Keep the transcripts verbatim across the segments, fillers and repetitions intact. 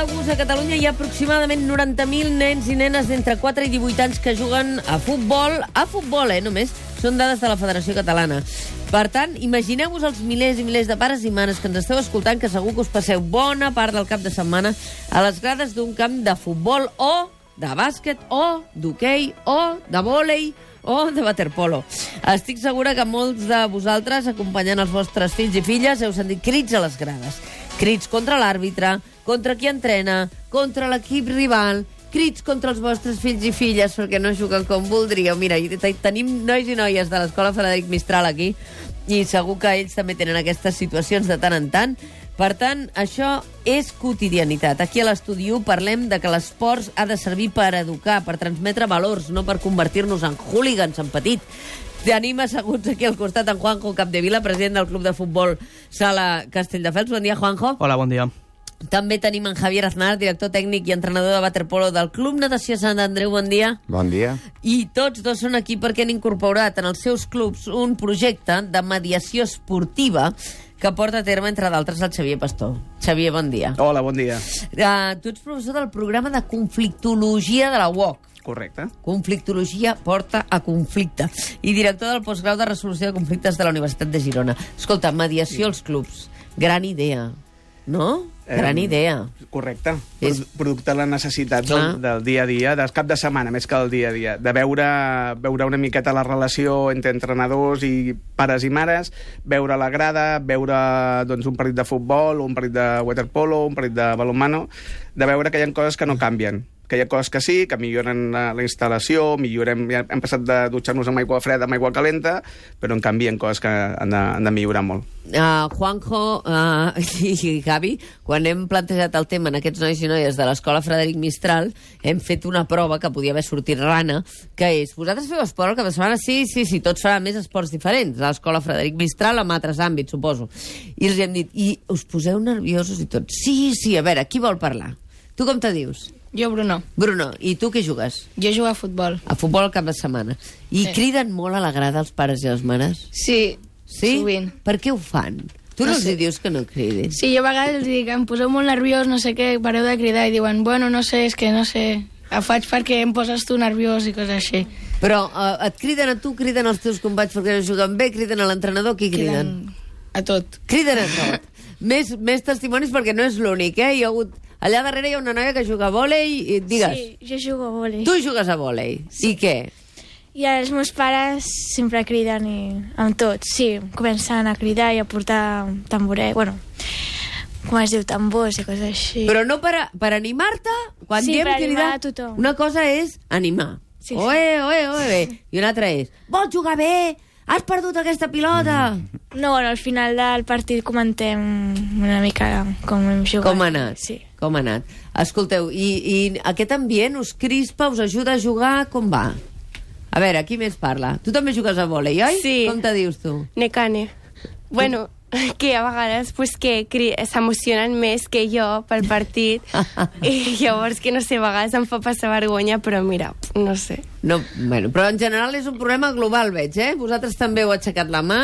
d'August, a Catalunya hi ha aproximadament noranta mil nens i nenes d'entre quatre i divuit anys que juguen a futbol. A futbol, eh, només. Són dades de la Federació Catalana. Per tant, imagineu-vos els milers i milers de pares i mares que ens esteu escoltant, que segur que us passeu bona part del cap de setmana a les grades d'un camp de futbol o de bàsquet o d'hoquei o de vòlei o de waterpolo. Estic segura que molts de vosaltres, acompanyant els vostres fills i filles, heu sentit crits a les grades. Crits contra l'àrbitre, contra qui entrena, contra l'equip rival, crits contra els vostres fills i filles perquè no juguen com voldríeu. Mira, tenim nois i noies de l'Escola Frederic Mistral aquí i segur que ells també tenen aquestes situacions de tant en tant. Per tant, això és quotidianitat. Aquí a l'Estudi u parlem de que l'esport ha de servir per educar, per transmetre valors, no per convertir-nos en hooligans en petit. Tenim asseguts aquí al costat en Juanjo Capdevila, president del Club de Futbol Sala Castelldefels. Bon dia, Juanjo. Hola, bon dia. També tenim en Javier Aznar, director tècnic i entrenador de waterpolo del Club Natació Sant Andreu. Bon dia. Bon dia. I tots dos són aquí perquè han incorporat en els seus clubs un projecte de mediació esportiva que porta a terme, entre d'altres, el Xavier Pastor. Xavier, bon dia. Hola, bon dia. Uh, tu ets professor del programa de conflictologia de la U O C. Correcte. Conflictologia porta a conflicte. I director del postgrau de resolució de conflictes de la Universitat de Girona. Escolta, mediació als clubs. Gran idea, no? Gran Eh, idea. Correcte. És- Producte de la necessitat Clar. del, del dia a dia, del cap de setmana, més que del dia a dia. De veure, veure una miqueta la relació entre entrenadors i pares i mares, veure la grada, veure doncs, un partit de futbol, un partit de waterpolo, un partit de balonmano, de veure que hi ha coses que no canvien, que hi ha coses que sí, que milloren la, la instal·lació, millorem, ja hem passat de dutxar-nos amb aigua freda amb aigua calenta, però en canvi hi ha coses que han de, han de millorar molt. Uh, Juanjo uh, i Gavi, quan hem plantejat el tema en aquests nois i noies de l'Escola Frederic Mistral, hem fet una prova que podia haver sortit rana, que és, vosaltres feu esport el cap de setmana? Sí, sí, sí, tots faran més esports diferents, a l'Escola Frederic Mistral, amb altres àmbits, suposo. I els hem dit, i us poseu nerviosos i tots? Sí, sí, a veure, qui vol parlar? Tu com te dius? Jo, Bruno. Bruno, i tu què jugues? Jo jugo a futbol. A futbol al cap de setmana. I Sí. criden molt a la grada els pares i les mares? Sí, Sí? sovint. Per què ho fan? Tu no, No els sé. hi dius que no cridin? Sí, jo a vegades els dic, em poseu molt nerviós, no sé què, pareu de cridar, i diuen, bueno, no sé, és que no sé, ho faig perquè em poses tu nerviós i coses així. Però uh, et criden a tu, criden als teus companys perquè no juguen bé, criden a l'entrenador, qui criden? A tot. Criden a tot. més, més testimonis perquè no és l'únic, eh? Hi ha hagut... Allà darrere hi ha una noia que juga a vòlei i digues, Sí, jo jugo a vòlei. tu jugues a vòlei. Sí. I què? I els meus pares sempre criden i amb tot. Sí, comencen a cridar i a portar tamboret, bueno, com es diu, tambors i coses així. Però no per, a, per animar-te, quan Sí, diem per animar cridar, a tothom. una cosa és animar. Sí, sí. Oe, oe, oe. I una altra és, vols jugar bé? Has perdut aquesta pilota? No, bueno, al final del partit comentem una mica com hem jugat. Com ha anat? Sí. Com ha anat? Escolteu, i, i aquest ambient us crispa, us ajuda a jugar? Com va? A veure, qui més parla? Tu també jugues a vòlei, oi? Sí. Com te dius tu? Necane. Bueno, que a vegades pues, que cri- s'emocionen més que jo pel partit i llavors que no sé, a vegades em fa passar vergonya, però mira, no sé. No, bueno, però en general és un problema global, veig, eh? Vosaltres també heu aixecat la mà,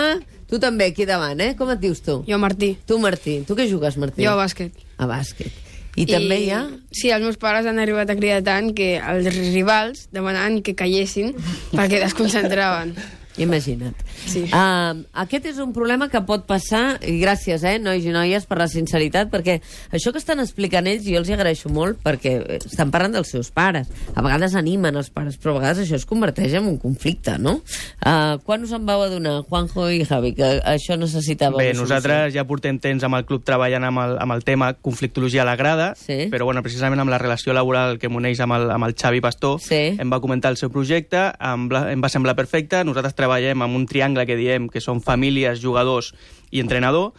tu també aquí davant, eh? Com et dius tu? Jo, Martí. Tu, Martí. Tu què jugues, Martí? Jo a bàsquet. A bàsquet. I, I també hi ha... Sí, els meus pares han arribat a cridar tant que els rivals demanaven que callessin perquè desconcentraven. Imagina't. Sí. Uh, aquest és un problema que pot passar, i gràcies, eh, nois i noies, per la sinceritat, perquè això que estan explicant ells, jo els hi agraeixo molt, perquè estan parlant dels seus pares. A vegades animen els pares, però a vegades això es converteix en un conflicte, no? Uh, quan us en vau adonar, Juanjo i Javi, que això necessitava Bé, una nosaltres ja portem temps amb el club treballant amb el, amb el tema conflictologia a la grada, Sí. però bueno, precisament amb la relació laboral que m'uneix amb, el, amb el Xavi Pastor, Sí. em va comentar el seu projecte, em, va- em va semblar perfecte, nosaltres treballem amb un triangle que diem que són famílies, jugadors i entrenador,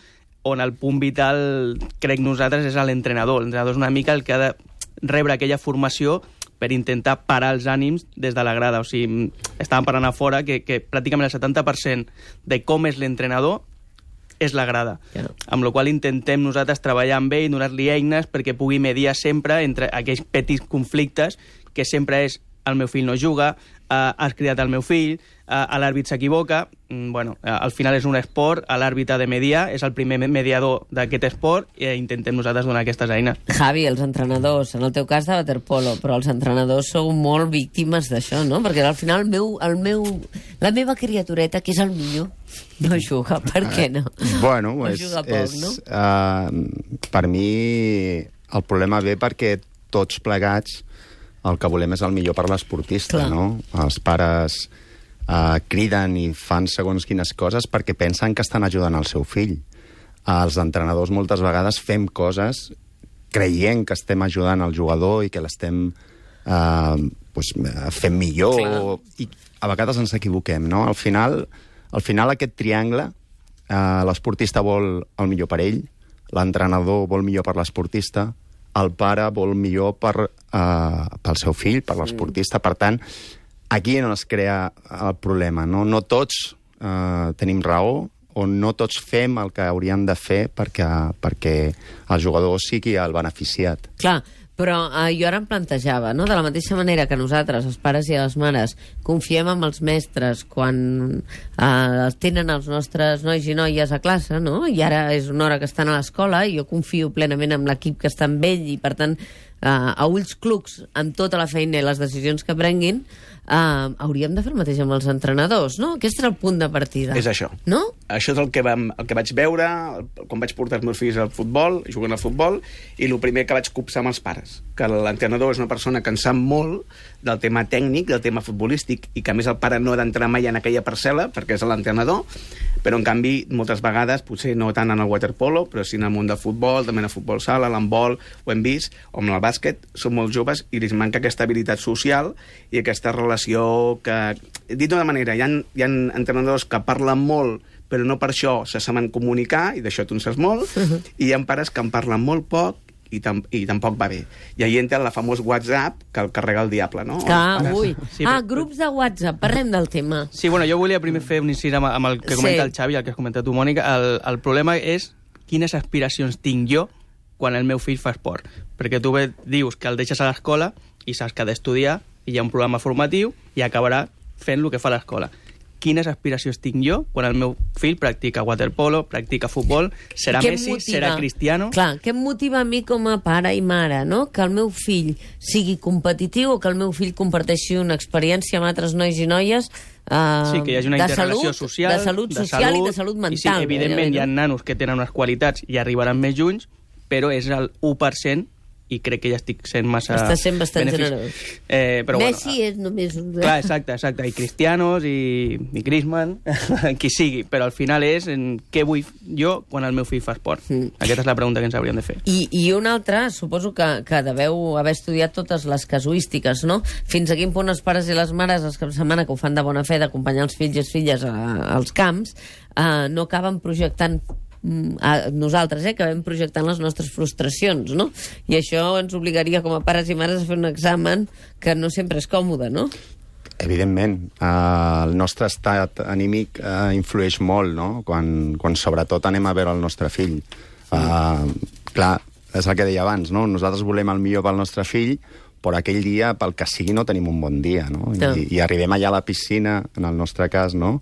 on el punt vital, crec nosaltres, és l'entrenador. L'entrenador és una mica el que ha de rebre aquella formació per intentar parar els ànims des de la grada. O sigui, estàvem parlant a fora que, que pràcticament el setanta per cent de com és l'entrenador és la grada. Ja. Amb la qual intentem nosaltres treballar amb ell, donar-li eines perquè pugui mediar sempre entre aquells petits conflictes que sempre és el meu fill no juga, uh, has cridat el meu fill, uh, l'àrbit s'equivoca, mm, bueno, uh, al final és un esport, l'àrbit ha de mediar, és el primer mediador d'aquest esport, i intentem nosaltres donar aquestes eines. Javi, els entrenadors, en el teu cas de waterpolo, però els entrenadors sou molt víctimes d'això, no? Perquè al final el meu, el meu, la meva criatureta, que és el millor, no juga. Per què no? Bueno, no és, juga poc, és, no? Uh, per mi el problema ve perquè tots plegats el que volem és el millor per l'esportista, no? Els pares uh, criden i fan segons quines coses perquè pensen que estan ajudant el seu fill. Uh, els entrenadors moltes vegades fem coses creient que estem ajudant el jugador i que l'estem uh, pues, fent millor. O, I a vegades ens equivoquem, no? Al final, al final aquest triangle, uh, l'esportista vol el millor per ell, l'entrenador vol millor per l'esportista, el pare vol millor per, uh, pel seu fill, per l'esportista. Per tant, aquí no es crea el problema. No, no tots uh, tenim raó o no tots fem el que hauríem de fer perquè, perquè el jugador sigui el beneficiat. Clar, però eh, jo ara em plantejava, no? De la mateixa manera que nosaltres, els pares i les mares, confiem en els mestres quan eh, tenen els nostres nois i noies a classe, no? I ara és una hora que estan a l'escola i jo confio plenament en l'equip que està amb ell i, per tant, eh, a ulls clucs, amb tota la feina i les decisions que prenguin, eh, hauríem de fer el mateix amb els entrenadors, no? Aquest era el punt de partida. És això. No? Això és el que, vam, el que vaig veure quan vaig portar els meus fills al futbol, jugant al futbol, i el primer que vaig copsar amb els pares, que l'entrenador és una persona que en sap molt del tema tècnic, del tema futbolístic, i que a més el pare no ha d'entrar mai en aquella parcel·la, perquè és l'entrenador, però en canvi, moltes vegades, potser no tant en el waterpolo, però sí en el món del futbol, també en el futbol sala, l'handbol, ho hem vist, o en el bàsquet, són molt joves i els manca aquesta habilitat social i aquesta relació que... Dit d'una manera, hi ha, hi ha entrenadors que parlen molt però no per això se saben comunicar, i d'això tu en saps molt, uh-huh. i hi ha pares que en parlen molt poc i, tam i tampoc va bé. I ahí entra la famós WhatsApp que el carrega el diable, no? Ah, ui. Sí, ah, però... grups de WhatsApp, parlem del tema. Sí, bueno, jo volia primer fer un incís amb, amb el que comenta sí. el Xavi i el que has comentat tu, Mònica. El, el problema és quines aspiracions tinc jo quan el meu fill fa esport. Perquè tu bé dius que el deixes a l'escola i saps que ha d'estudiar i hi ha un programa formatiu i acabarà fent el que fa l'escola. Quines aspiracions tinc jo quan el meu fill practica waterpolo, practica futbol, serà Messi, motiva? Serà Cristiano... Clar, què em motiva a mi com a pare i mare, no? Que el meu fill sigui competitiu o que el meu fill comparteixi una experiència amb altres nois i noies uh, sí, que hi hagi una interrelació salut, social, de salut social de salut, i de salut mental. I sí, evidentment no? hi ha nanos que tenen unes qualitats i arribaran més junts, però és el u per cent i crec que ja estic sent massa... Està sent bastant benefici. generós. Eh, però Messi bueno, és només un... Clar, exacte, exacte. I Cristianos, i, i Griezmann, qui sigui. Però al final és en què vull jo quan el meu fill fa esport. Mm. Aquesta és la pregunta que ens hauríem de fer. I, i una altra, suposo que, que deveu haver estudiat totes les casuístiques, no? Fins a quin punt els pares i les mares, els caps de setmana que ho fan de bona fe d'acompanyar els fills i les filles a, als camps, eh, no acaben projectant a nosaltres, eh, que vam projectant les nostres frustracions, no? I això ens obligaria com a pares i mares a fer un examen que no sempre és còmode, no? Evidentment. Uh, el nostre estat anímic uh, influeix molt, no? Quan, quan sobretot anem a veure el nostre fill. Uh, clar, és el que deia abans, no? Nosaltres volem el millor pel nostre fill, però aquell dia, pel que sigui, no tenim un bon dia, no? no. I, i arribem allà a la piscina, en el nostre cas, no?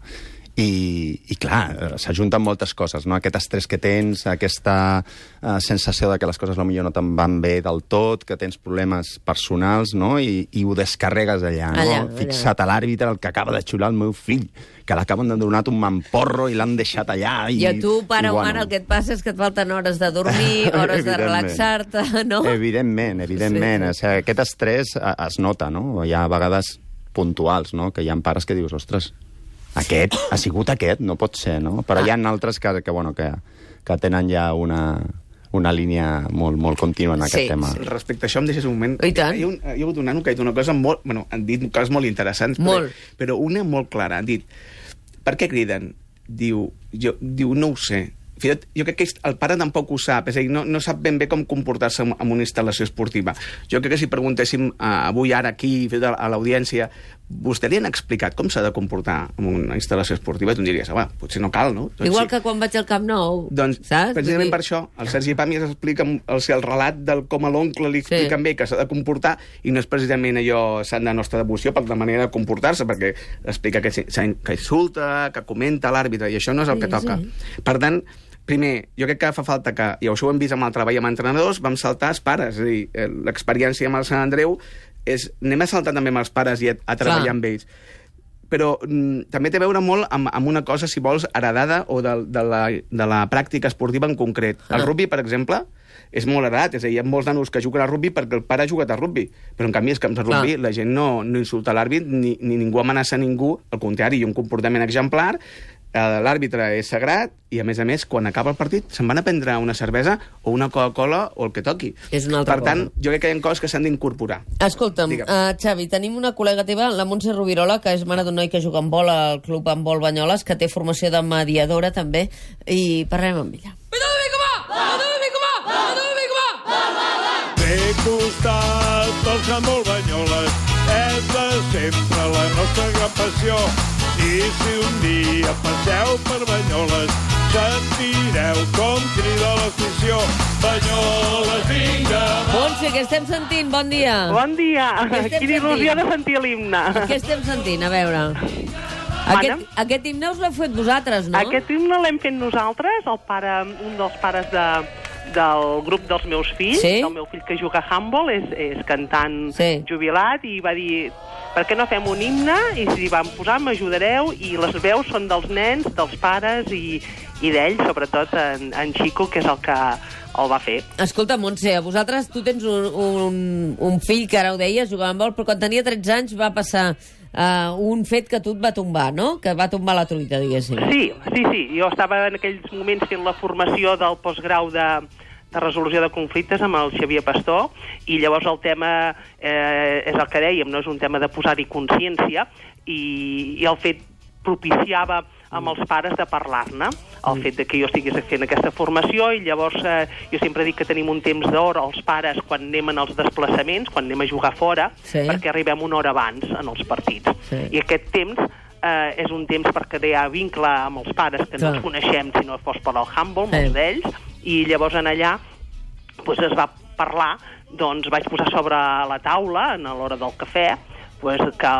I, i clar, s'ajunten moltes coses, no? Aquest estrès que tens, aquesta uh, sensació de que les coses potser no te'n van bé del tot, que tens problemes personals, no? I, i ho descarregues allà, no? Allà, Fixa't a l'àrbitre, el que acaba de xular el meu fill, que l'acaben de donar un mamporro i l'han deixat allà. I, I a tu, pare i, o bueno... mare, el que et passa és que et falten hores de dormir, hores de relaxar-te, no? Evidentment, evidentment. Sí. O sigui, aquest estrès es nota, no? Hi ha vegades puntuals, no? Que hi ha pares que dius, ostres, aquest, ha sigut aquest, no pot ser, no? Però ah. hi ha altres que, que, bueno, que, que tenen ja una, una línia molt, molt contínua en aquest sí. tema. Respecte a això, em deixes un moment. I tant. Hi ha, un, hi ha hagut un nano que ha dit una cosa molt... Bueno, han dit coses molt interessants, molt. Però, però una molt clara. Han dit, per què criden? Diu, jo, diu no ho sé. Fet, jo crec que el pare tampoc ho sap, és a dir, no, no sap ben bé com comportar-se en una instal·lació esportiva. Jo crec que si preguntéssim uh, avui, ara, aquí, a l'audiència, vostè li han explicat com s'ha de comportar en una instal·lació esportiva, tu em diries, va, potser no cal, no? Doncs Igual sí. que quan vaig al Camp Nou, doncs, saps? precisament per això, el Sergi Pàmies explica el, el relat del com a l'oncle li expliquen Sí. bé que s'ha de comportar, i no és precisament allò sant de nostra devoció per la manera de comportar-se, perquè explica que, que insulta, que comenta l'àrbitre, i això no és el Sí, que toca. sí. Per tant, primer, jo crec que fa falta que, i això ho hem vist amb el treball amb entrenadors, vam saltar els pares, és a dir, l'experiència amb el Sant Andreu és, anem a saltar també amb els pares i a, a treballar Clar. amb ells. Però mm, també té a veure molt amb, amb una cosa, si vols, heredada o de, de, la, de la pràctica esportiva en concret. El Ah. rugby, per exemple, és molt heredat, és a dir, hi ha molts nanos que juguen a rugby perquè el pare ha jugat a rugby, però en canvi els camps de rugby Clar. la gent no, no insulta l'àrbit ni, ni ningú amenaça a ningú, al contrari, hi ha un comportament exemplar, eh, l'àrbitre és sagrat i, a més a més, quan acaba el partit se'n van a prendre una cervesa o una Coca-Cola o el que toqui. És una altra per tant, cosa. jo crec que hi ha coses que s'han d'incorporar. Escolta'm, Digue'm. uh, Xavi, tenim una col·lega teva, la Montse Rubirola, que és mare d'un noi que juga en vol al Club Handbol Banyoles, que té formació de mediadora també, i parlem amb ella. Té costat del Handbol Banyoles és de sempre la nostra gran passió. I si un dia passeu per Banyoles sentireu com crida l'afició. Banyoles, vinga! Montse, què estem sentint? Bon dia. Bon dia. Què estem Quina il·lusió sentint? de sentir l'himne. Què estem sentint? A veure... Aquest, aquest himne us l'heu fet vosaltres, no? Aquest himne l'hem fet nosaltres, el pare, un dels pares de, del grup dels meus fills. Sí? El meu fill que juga a handball és, és cantant Sí. jubilat i va dir, per què no fem un himne? I si vam posar, m'ajudareu, i les veus són dels nens, dels pares i, i d'ell, sobretot en, en Xico, que és el que el va fer. Escolta, Montse, a vosaltres, tu tens un, un, un fill que ara ho deies, jugava amb vol, però quan tenia tretze anys va passar uh, un fet que tu et va tombar, no? Que va tombar la truita, diguéssim. Sí, sí, sí. Jo estava en aquells moments fent la formació del postgrau de, de resolució de conflictes amb el Xavier Pastor, i llavors el tema eh, és el que dèiem, no és un tema de posar-hi consciència, i, i el fet propiciava amb els pares de parlar-ne, el fet de que jo estigués fent aquesta formació, i llavors eh, jo sempre dic que tenim un temps d'hora els pares quan anem en els desplaçaments, quan anem a jugar fora, Sí. perquè arribem una hora abans en els partits. Sí. I aquest temps eh, és un temps per crear vincle amb els pares que Clar. no els coneixem si no fos per al handball, Sí. molts d'ells, i llavors en allà pues, es va parlar, doncs vaig posar sobre la taula, a l'hora del cafè, pues, que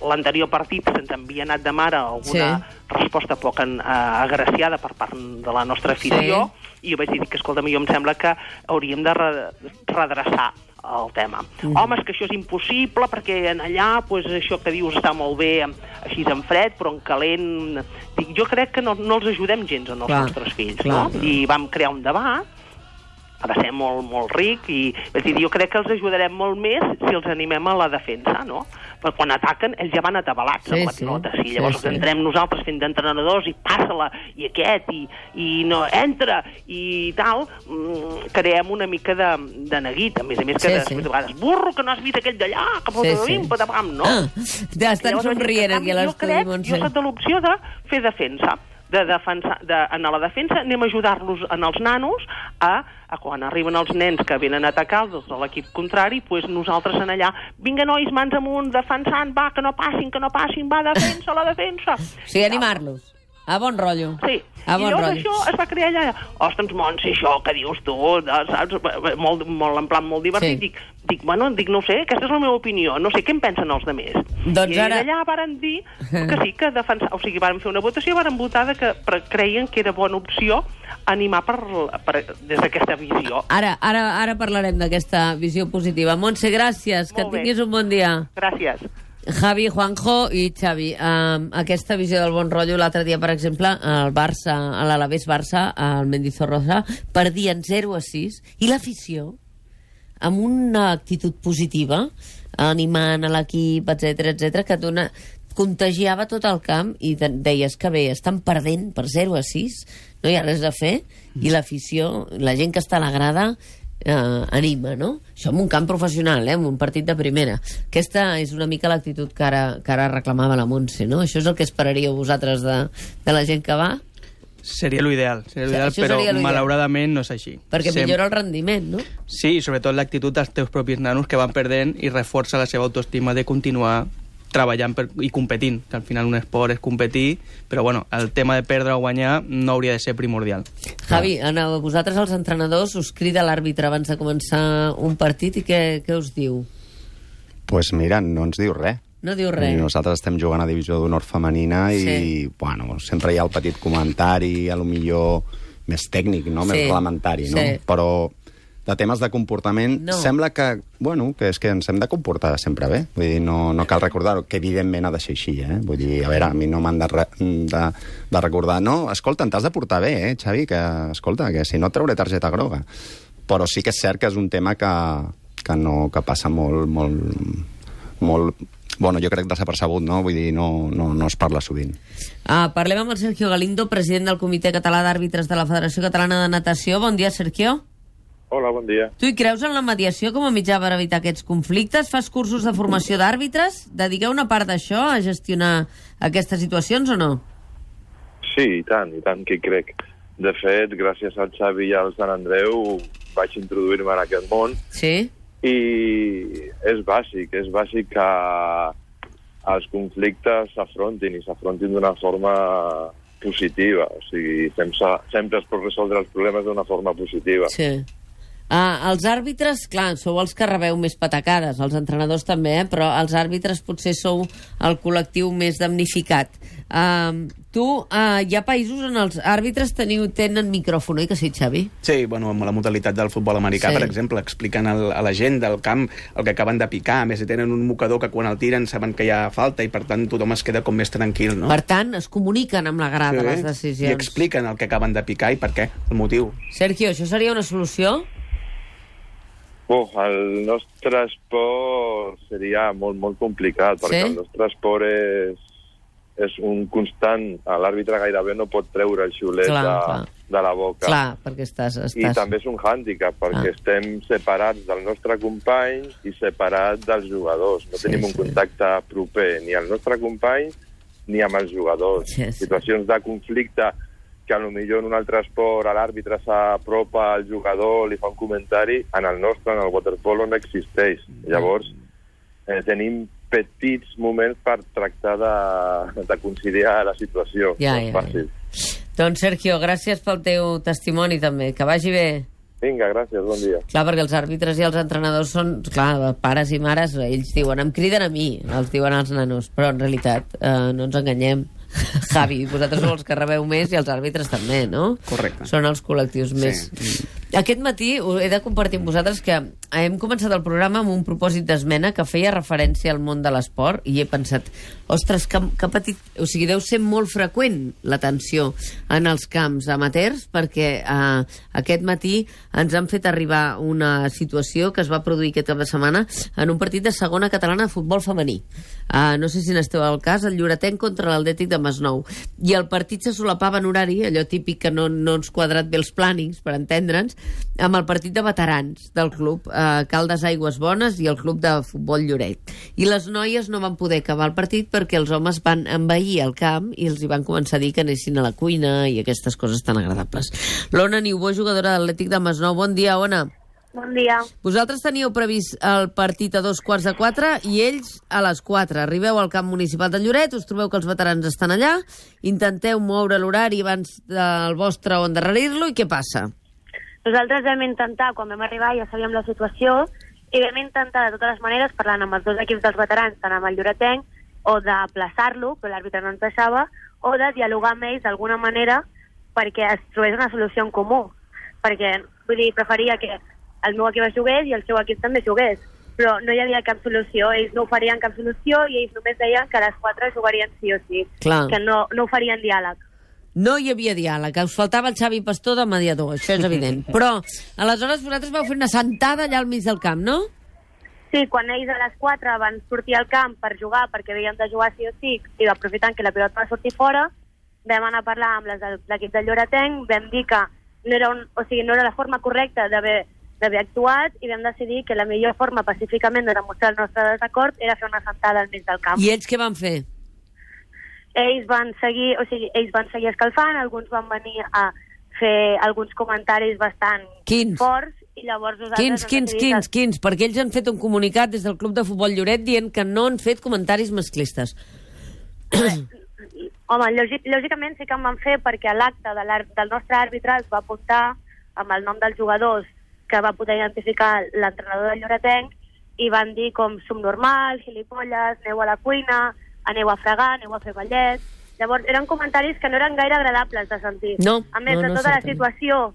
l'anterior partit se'ns havia anat de mare alguna Sí. resposta poc en, eh, agraciada per part de la nostra afició, Sí. i jo vaig dir que, escolta'm, jo em sembla que hauríem de re redreçar el tema. Mm. Home, és que això és impossible, perquè en allà, pues, això que dius està molt bé així en fred, però en calent... Dic, jo crec que no, no els ajudem gens en els Clar, nostres fills, clar. no? I vam crear un debat, va ser molt, molt ric, i és dir, jo crec que els ajudarem molt més si els animem a la defensa, no? Perquè quan ataquen, ells ja van atabalats Sí, amb la sí. pilota. Sí, Sí, llavors sí. entrem nosaltres fent d'entrenadors i passa-la, i aquest, i, i no entra, i tal, mm, creem una mica de, de neguit. A més a més, que Sí, després sí. de vegades, burro, que no has vist aquell d'allà, que Sí, sí, sí. sí. patapam, no? Ah, ja estan Llavors, somrient en aquí a canvi, l'estudi, Jo crec, Montse. jo soc de l'opció de fer defensa. De defensar, de, en la defensa anem a ajudar-los en els nanos a, a quan arriben els nens que venen a atacar els de l'equip contrari, pues nosaltres en allà, vinga nois, mans amunt, defensant, va, que no passin, que no passin, va, defensa, la defensa. O sigui, animar-los. A bon rotllo. Sí, A i bon llavors rotllo. això es va crear allà. Ostres, Montse, això que dius tu, de, saps? Molt, molt, en plan molt divertit. Sí. Dic, dic, bueno, dic, no ho sé, aquesta és la meva opinió, no sé què en pensen els demés. Doncs I ara- allà varen dir que sí, que defensar, o sigui, varen fer una votació, varen votar de que per, creien que era bona opció animar per, per, des d'aquesta visió. Ara, ara, ara parlarem d'aquesta visió positiva. Montse, gràcies, que Molt bé. tinguis un bon dia. Gràcies. Javi, Juanjo i Xavi, um, aquesta visió del bon rotllo, l'altre dia, per exemple, el Barça, a l'Alavés Barça, al Mendizorroza, perdien zero a sis, i l'afició, amb una actitud positiva, animant a l'equip, etcètera, etcètera, que dona, contagiava tot el camp, i de, deies que bé, estan perdent per zero a sis, no hi ha res a fer, i l'afició, la gent que està a la grada, eh, anima, no? Això en un camp professional, eh, en un partit de primera. Aquesta és una mica l'actitud que ara, que ara reclamava la Montse, no? Això és el que esperaríeu vosaltres de, de la gent que va? Seria l'ideal, seria l'ideal, Això però seria l'ideal. malauradament no és així. Perquè Sem- millora el rendiment, no? Sí, i sobretot l'actitud dels teus propis nanos que van perdent i reforça la seva autoestima de continuar treballant per, i competint, que al final un esport és competir, però bueno, el tema de perdre o guanyar no hauria de ser primordial. Javi, a vosaltres els entrenadors us crida l'àrbitre abans de començar un partit i què, què us diu? Doncs pues mira, no ens diu res. No diu res. I nosaltres estem jugant a Divisió d'Honor femenina i, sí. bueno, sempre hi ha el petit comentari, a lo millor més tècnic, no? Més sí. reglamentari, no? Sí. Però de temes de comportament, no. sembla que, bueno, que és que ens hem de comportar sempre bé. Vull dir, no, no cal recordar-ho, que evidentment ha de ser així, eh? Vull dir, a veure, a mi no m'han de, re, de, de recordar. No, escolta, t'has de portar bé, eh, Xavi? Que, escolta, que si no et trauré targeta groga. Però sí que és cert que és un tema que, que, no, que passa molt, molt, molt... Bueno, jo crec desapercebut, no? Vull dir, no, no, no es parla sovint. Ah, parlem amb el Sergio Galindo, president del Comitè Català d'Àrbitres de la Federació Catalana de Natació. Bon dia, Sergio. Hola, bon dia. Tu hi creus en la mediació com a mitjà per evitar aquests conflictes? Fas cursos de formació d'àrbitres? Dediqueu una part d'això a gestionar aquestes situacions o no? Sí, i tant, i tant que hi crec. De fet, gràcies al Xavi i al Sant Andreu vaig introduir-me en aquest món. Sí. I és bàsic, és bàsic que els conflictes s'afrontin i s'afrontin d'una forma positiva. O sigui, sempre, sempre es pot resoldre els problemes d'una forma positiva. Sí. Ah, els àrbitres, clar, sou els que rebeu més patacades, els entrenadors també, eh? Però els àrbitres potser sou el col·lectiu més damnificat. Uh, tu, uh, hi ha països on els àrbitres teniu, tenen micròfon, oi que sí, Xavi? Sí, bueno, amb la modalitat del futbol americà, sí. per exemple, expliquen el, a la gent del camp el que acaben de picar, a més si tenen un mocador que quan el tiren saben que hi ha falta i per tant tothom es queda com més tranquil, no? Per tant, es comuniquen amb la grada, sí, les decisions. I expliquen el que acaben de picar i per què, el motiu. Sergio, això seria una solució? Oh, el nostre esport seria molt, molt complicat, perquè sí? el nostre esport és, és un constant. L'àrbitre gairebé no pot treure el xiulet clar, de, clar. de la boca. Clar, perquè estàs... estàs... I també és un hàndicap, perquè ah. estem separats del nostre company i separats dels jugadors. No sí, tenim un sí. contacte proper ni al nostre company ni amb els jugadors. Sí, sí. Situacions de conflicte que a lo millor en un altre esport l'àrbitre s'apropa al jugador, li fa un comentari, en el nostre, en el waterpolo, no existeix. Llavors, eh, tenim petits moments per tractar de, de conciliar la situació. Ja, no és ja, fàcil. Ja. Doncs, Sergio, gràcies pel teu testimoni, també. Que vagi bé. Vinga, gràcies, bon dia. Clar, perquè els àrbitres i els entrenadors són, clar, pares i mares, ells diuen, em criden a mi, els diuen als nanos, però en realitat eh, no ens enganyem. Javi, vosaltres sou els que rebeu més i els àrbitres també, no? Correcte. Són els col·lectius més... Sí. Aquest matí he de compartir amb vosaltres que hem començat el programa amb un propòsit d'esmena que feia referència al món de l'esport i he pensat, ostres, que, que petit... O sigui, deu ser molt freqüent la tensió en els camps amateurs perquè eh, aquest matí ens han fet arribar una situació que es va produir aquest cap de setmana en un partit de segona catalana de futbol femení. Uh, no sé si n'esteu al cas, el Lloretenc contra l'Atlètic de Masnou. I el partit se solapava en horari, allò típic que no, no ens quadrat bé els plànings, per entendre'ns, amb el partit de veterans del club eh, Caldes Aigües Bones i el club de futbol Lloret. I les noies no van poder acabar el partit perquè els homes van envair el camp i els hi van començar a dir que anessin a la cuina i aquestes coses tan agradables. L'Ona Niubó, jugadora de l'Atlètic de Masnou. Bon dia, Ona. Bon dia. Vosaltres teníeu previst el partit a dos quarts de quatre i ells a les quatre. Arribeu al camp municipal de Lloret, us trobeu que els veterans estan allà, intenteu moure l'horari abans del vostre o endarrerir-lo i què passa? Nosaltres vam intentar, quan vam arribar ja sabíem la situació, i vam intentar de totes les maneres, parlant amb els dos equips dels veterans, tant amb el Lloretenc, o d'aplaçar-lo, però l'àrbitre no ens deixava, o de dialogar amb ells d'alguna manera perquè es trobés una solució en comú. Perquè, vull dir, preferia que el meu equip es jugués i el seu equip també jugués, però no hi havia cap solució, ells no oferien cap solució i ells només deien que les quatre jugarien sí o sí, clar. Que no, no oferien diàleg. No hi havia diàleg, us faltava el Xavi Pastor de mediador, això és evident. Però, aleshores, vosaltres vau fer una sentada allà al mig del camp, no? Sí, quan ells a les quatre van sortir al camp per jugar, perquè havien de jugar sí o sí, i aprofitant que la pilota va sortir fora, vam anar a parlar amb les de l'equip de Lloretenc, vam dir que no era, un, o sigui, no era la forma correcta d'haver d'haver actuat i vam decidir que la millor forma pacíficament de demostrar el nostre desacord era fer una sentada al mig del camp. I ells què van fer? Ells van seguir, o sigui, ells van seguir escalfant, alguns van venir a fer alguns comentaris bastant Quins? forts i llavors nosaltres... Quins, quins, quins, quins? Perquè ells han fet un comunicat des del Club de Futbol Lloret dient que no han fet comentaris masclistes. Home, lògic, lògicament sí que en van fer perquè a l'acte de del nostre àrbitre es va apuntar amb el nom dels jugadors que va poder identificar l'entrenador del Lloretenc i van dir com subnormal, gilipolles, aneu a la cuina, aneu a fregar, aneu a fer ballet. Llavors eren comentaris que no eren gaire agradables de sentir. No, a més no, de no, tota la certament. situació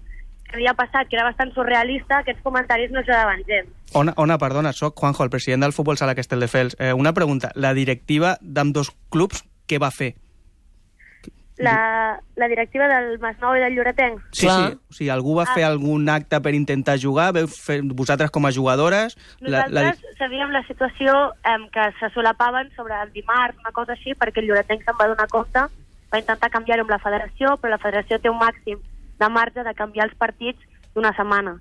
que havia passat, que era bastant surrealista, aquests comentaris no ajudaven gens. Ona, Ona, perdona, soc Juanjo, el president del Futbol Sala Castelldefels. Eh, una pregunta, la directiva d'ambdós clubs què va fer? La, la directiva del Masnou i del Lloretenc. Sí, sí. O sigui, algú va Ah. fer algun acte per intentar jugar? Veu fer, vosaltres com a jugadores? Nosaltres la, la... sabíem la situació eh, que se solapaven sobre el dimarts, una cosa així, perquè el Lloretenc se'n va donar compte, va intentar canviar-ho amb la federació, però la federació té un màxim de marge de canviar els partits d'una setmana.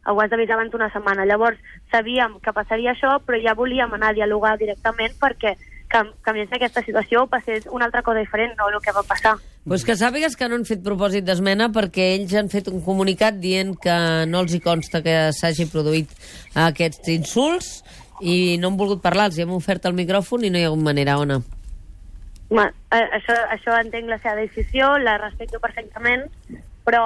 Ho has d'avisar abans d'una setmana. Llavors, sabíem que passaria això, però ja volíem anar a dialogar directament perquè que canviés aquesta situació passés una altra cosa diferent, no el que va passar. Pues que sàpigues que no han fet propòsit d'esmena perquè ells han fet un comunicat dient que no els hi consta que s'hagi produït aquests insults i no han volgut parlar, els hi hem ofert el micròfon i no hi ha hagut manera, Ona. Ma, eh, això, això entenc la seva decisió, la respecto perfectament, però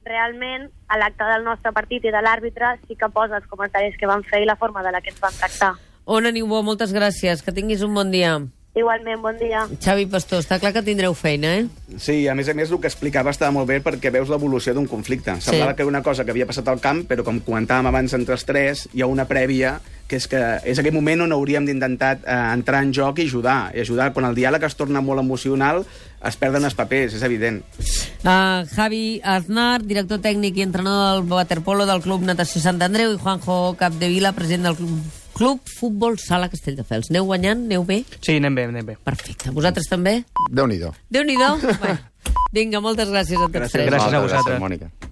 realment a l'acte del nostre partit i de l'àrbitre sí que posa els comentaris que van fer i la forma de la que ens van tractar. Ona Niubó, moltes gràcies, que tinguis un bon dia. Igualment, bon dia. Xavi Pastor, està clar que tindreu feina, eh? Sí, a més a més el que explicava estava molt bé perquè veus l'evolució d'un conflicte. Semblava Sí. que era una cosa que havia passat al camp, però com comentàvem abans entre els tres, hi ha una prèvia que és que és aquell moment on hauríem d'intentar eh, entrar en joc i ajudar. I ajudar, quan el diàleg es torna molt emocional, es perden els papers, és evident. Uh, Javi Aznar, director tècnic i entrenador del waterpolo del Club Natació Sant Andreu, i Juanjo Capdevila, president del Club, Club Futbol Sala Castelldefels. Aneu guanyant? Aneu bé? Sí, anem bé, anem bé. Perfecte. Vosaltres també? Déu-n'hi-do. Déu-n'hi-do. Bueno, vinga, moltes gràcies a tots Gràcies. tres. Gràcies a Moltes vosaltres. Gràcies, Mònica.